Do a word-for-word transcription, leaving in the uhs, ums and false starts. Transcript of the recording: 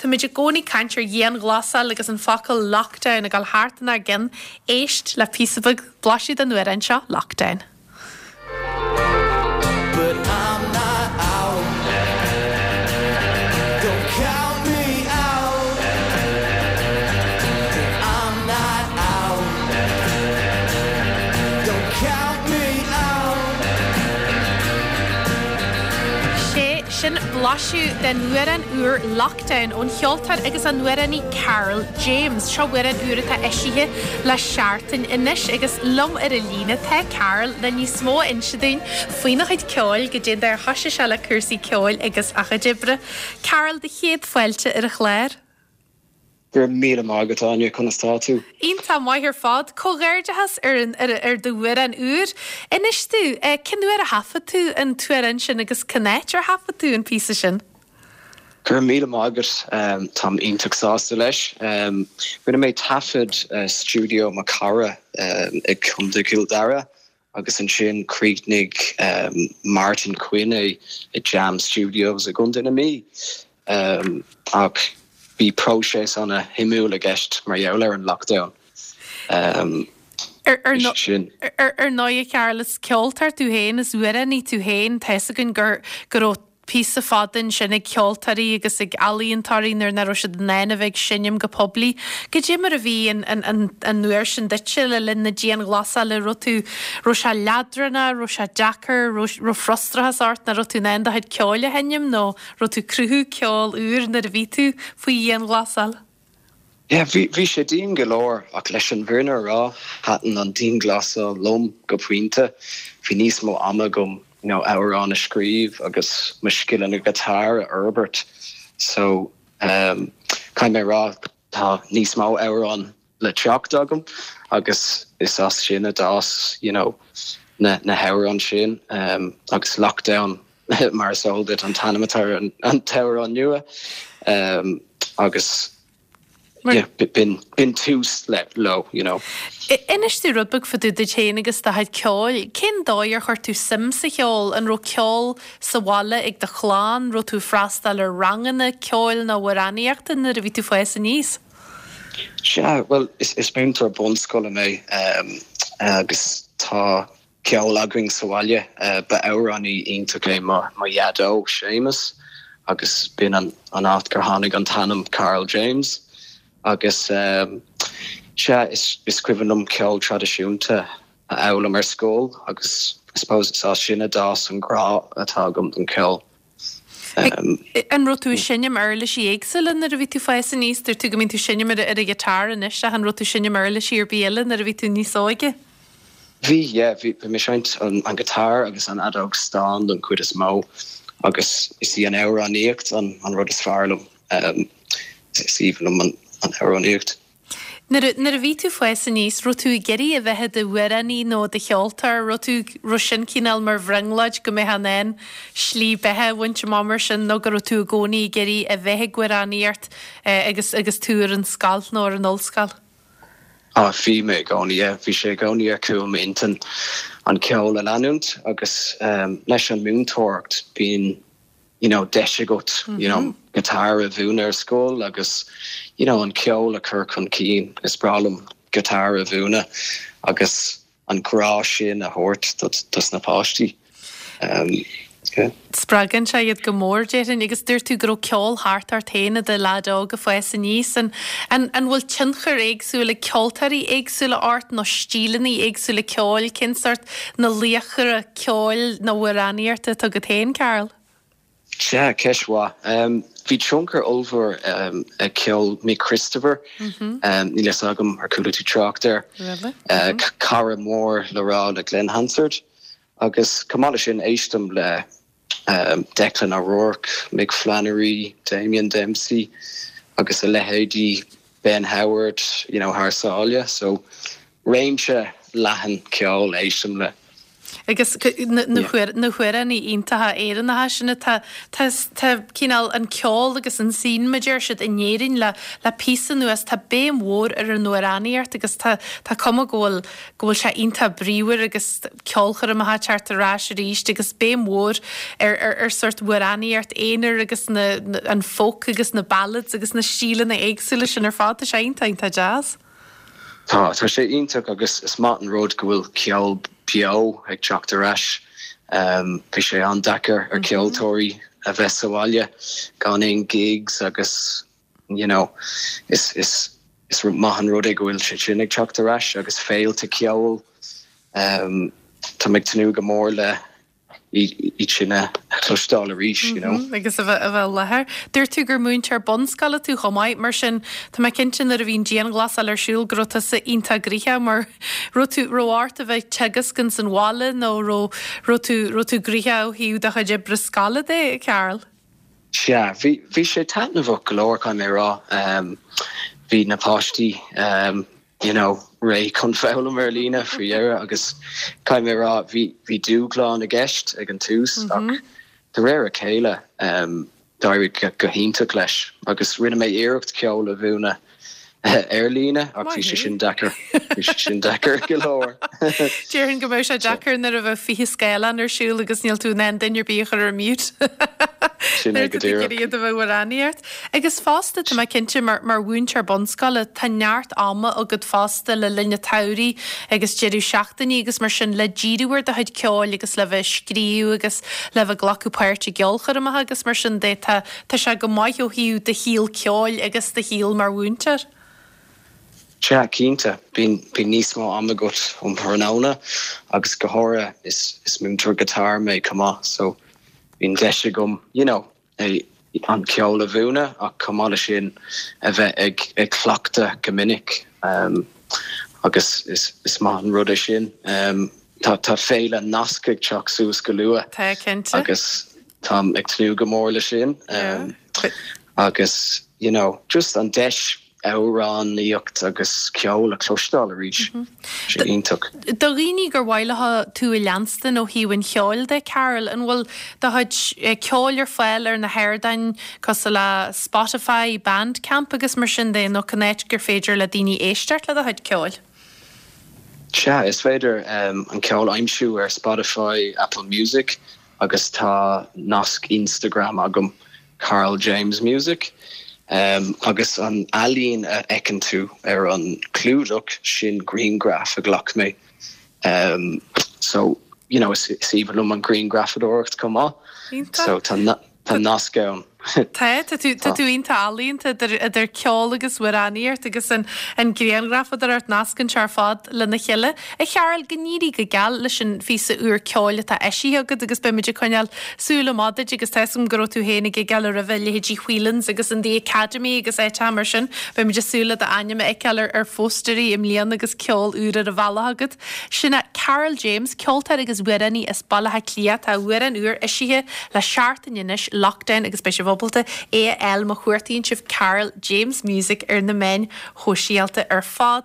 Táimid i gcónaí ag caint ar dhianghlasáil agus an focal lockdown ag dul thart inár gcinn éist le píosa beag blaiseadh den amhrán seo lockdown. But I'm not out. Don't count me out. I'm not out. Don't count me out. Sé sin blaiseadh den amhrán úr Lockdown ón cheoltóir agus an amhránaí Karl James. Seo amhrán úr atá eisithe le seachtain anois agus liom ar an líne tá Karl le níos mó a inse dúinn faoina chuid ceoil go dtí ar thosaigh sé le cúrsaí ceoil agus a chuid oibre. Karl do chéad fáilte ar an chlár. Gur míle maith agat Áine conas tá tú. Iontach maith ar fad comhghairdeachas ar an ar, ar d'amhrán úr. Inis domh cén uair a thaifead tú an t-amhrán sin agus cén áit ar thaifead tú an píosa sin. Gur míle maith agat um, Táim iontach sásta leis. Um, Rinne mé taifead uh, studio mo chara um, ag Contae Chill Dara agus ansin chríochnaigh um, Martin Quinn é i Jam Studios i gContae na Mí. Um, ach bhí próiseas an-shuimiúil i gceist mar gheall ar an lockdown. Um, Ar ar no- sin. ar ar ndóigh Karl is ceoltóir tú féin is amhránaí tú féin tá a fhios againn gur go raibh píosa fada sin ag ceoltóirí agus ag ealaíontóirí nuair nach raibh siad in ann a bheith ag seinm go poiblí. Goidé mar a bhí an an an an uair sin duitse le linn na dianghlasála raibh tú raibh sé leadránach, raibh sé deacair, raibh frustrachas ort nach raibh tú in ann do chuid ceoil a sheinm nó raibh tú ag cruthú ceol úr nuair a bhí tú faoi dhianghlasáil. Yeah, bhí bhí sé dian go leor ach leis an bhfírinne a rá thaitin an dianghlasáil liom go pointe, bhí níos mó ama agam you know, amhrán a scríobh agus mo scileanna guitar a fhorbairt. So um, caithfidh mé rá tá níos mó amhrán le teacht agam agus is as sin a d'fhás you know, na, na hamhráin sin um, agus lockdown mar is eol duit an t-ainm atá ar an, an t-amhrán nua um, agus yeah, b'in b'in tús le leo you know. Inis domh rud beag fá dtaobh duit féin agus do chuid ceoil, Cén dóigh ar chuir tú suim sa cheol an raibh ceol sa bhaile ag do chlann, raibh tú freastal ar ranganna ceoil nó amhránaíochta nuair a bhí tú ag fás aníos? Sea, well is, is múinteoir bunscoile mé um, agus tá ceol againn sa bhaile uh, ba amhránaí iontach é mo mo dhaideo Séamus agus b'in an an áit gur tháinig an t-ainm Karl James agus um, sea is, is cuimhin liom ceol traidisiúnta a fhoghlaim ar scoil agus I suppose is as sin a d'fhás an grá atá agam don ceol. Um, an raibh tú ag seinm uirlisí éagsúla nuair a bhí tú ag fás aníos, dúirt tú go mbíonn tú ag seinm ar ar an ghiotár anois ach an raibh tú ag seinm uirlisí ar bith eile nuair a bhí tú níos óige? Bhí yeah, bhí bhí mé ag seinnt an, an guitar agus an fheadóg stáin don chuid is mó agus is í an amhránaíocht an, an rud is fearr liom um, is aoibhinn liom an, an amhránaíocht. Nuair a bhí tú ag fás aníos, raibh tú ag iarraidh a bheith i d'amhránaí nó i do cheoltóir, raibh tú raibh sin cineál mar bhrionglóid go mbeadh in ann slí beatha a bhaint amach mar sin nó go raibh tú i gcónaí ag iarraidh a bheith ag amhránaíocht eh, agus agus tú ar an scoil nó ar an ollscoil. Á bhí mé i gcónaí bhí sé i gcónaí ar chúl m'intinn an ceol a leanúint agus um, leis an múinteoireacht bíonn you know, deis agat mm -hmm. you know, guitar a mhúineadh ar scoil agus you know, an ceol a chur chun cinn is breá liom guitar a mhúineadh agus an grá sin a thabhairt dos na páistí. Um, yeah. Spreagann sé iad go mór déarfainn agus dúirt tú go raibh ceol thart ort féin i do leaid óg ag fás aníos an an an bhfuil tionchar éagsúil ag ceoltóirí éagsúla ort nó stíleanna éagsúla ceoil cén sórt na laochra ceoil nó amhránaíochta atá agat féin Karl? Sea ceist mhaith. Um, bhí tionchar ollmhór um, ag ceol Mick Christopher mm -hmm. um, níl a fhios agam ar chuala tú trácht air Really? uh, mm -hmm. cara mór le rá le Glen Hansard agus chomh maith leis sin éistim le um, Declan O'Rourke, Mick Flannery, Damien Dempsey agus a leithéidí Ben Howard you know, thar sáile, so réimse leathan ceol éistim le. Agus na hamhráin iontacha Éireannacha sin atá tá cineál an ceol agus an scene mar a deir siad in Éirinn le le píosa anuas tá béim mhór ar an amhránaíocht agus tá tá cuma go bhfuil go bhfuil sé iontach bríomhar agus ceolchoirmeacha ag teacht ar ais arís agus béim mhór ar ar ar sórt amhránaíocht aonair agus na an folk agus na ballads agus na stíleanna éagsúla sin ar fad tá sé iontach iontach deas. Tá tá sé iontach agus is maith an rud go bhfuil ceol beo ag teacht ar ais. Um, bhí sé an-deacair ar ceoltóirí a bheith sa bhaile gan aon gigs agus you know, is is is maith an rud é go bhfuil sé sin ag teacht ar ais agus féilte ceoil um, Tá ag tnúth go mór le iad sin a chloisteáil arís you know. Mm -hmm, agus a bheith a bheith láthair. Dúirt tú gur múinteoir bunscoile tú chomh maith mar sin tá mé cinnte nuair a bhí an dianghlasáil ar siúl go raibh tusa iontach gnoitheach mar raibh tú raibh ort a bheith teagasc san bhaile nó raibh raibh tú raibh tú gnoitheach ó thaobh do chuid oibre scoile de Karl. Sea, bhí bhí sé taitneamhach go leor caithfidh mé rá um, bhí na páistí um, you know, réidh chun foghlaim ar líne faoi dheireadh agus caithfidh mé rá bhí bhí dúshlán i gceist ag an tús mm -hmm. ach de réir a chéile um, d'éirigh go, go hiontach leis agus rinne mé iarracht ceol a mhúineadh ar líne ach bhí sé sin deacair bhí sé sin deacair go leor. Déarfainn go mbeadh sé deacair nuair a bheith fiche scáileán ar siúl agus níl tú in ann duine ar bith a chur ar mute. Sin é go díreach. iad a bheith amhránaíocht. Agus fosta tá mé cinnte mar mar mhúinteoir bunscoile tá neart ama agat fosta le linn an tsamhraidh agus deireadh seachtainí agus mar sin le díriú ar do chuid ceoil agus le bheith scríobh agus le bheith glacadh páirt i gceolchoirmeacha agus mar sin de tá tá sé go maith ó thaobh do shaol ceoil agus do shaol mar mhúinteoir. Sea cinnte bíonn bíonn níos mó ama agat um thráthnóna agus go háirithe is is múinteoir guitar mé chomh maith so bíonn deis agam you know, é an ceol a mhúineadh ach chomh maith leis sin a bheith ag ag cleachtadh go minic um, agus is, is maith an rud é sin. Um, tá tá féile nasc ag teacht suas go luath Tá cinnte. agus táim ag tnúth go mór leis sin um, agus you know, just an deis amhránaíocht agus ceol a chloisteáil arís sé iontach. Do dhaoine gur mhaith leo tú a leanstan ó thaobh an cheoil de Karl an bhfuil do chuid ceoil ar fáil ar na hardáin cosúil le Spotify, Bandcamp agus mar sin de nó cén áit gur féidir le daoine éisteacht le do chuid ceoil. Sea is féidir um, an ceol a aimsiú ar Spotify, Apple Music agus tá nasc Instagram agam Karl James Music. Um, agus an ealaín a fheiceann tú ar an clúdach sin grianghraf a ghlac mé. Um, so you know, is, is aoibhinn liom an ghrianghrafadóireacht chomh maith. Iontach. So tá na, tá nasc ann. Tá tá tú tá tú iontach ealaíonta idir idir ceol agus amhránaíocht agus an an ghrianghrafadóireacht nascann sé ar fad lena chéile. A Charl go n-éirí go geal leis an phíosa úr ceoil atá eisithe agat agus beimid ag coinneáil súil amach duit agus tá a fhios agam go raibh tú féin ag gigeáil roimhe leithéidí Whelan's agus an The Academy agus áiteacha mar sin, beimid ag súil le d'ainm a fheiceáil ar ar phóstaerí i mbliana agus ceol úr ar an bhealach agat. Sin é Karl James, ceoltóir agus amhránaí as Baile Átha Cliath tá amhrán úr eisithe le seachtain anois Lockdown agus beidh sibh ábalta é a fháil má chuartaíonn sibh Karl James Music ar na meáin shóisialta ar fad.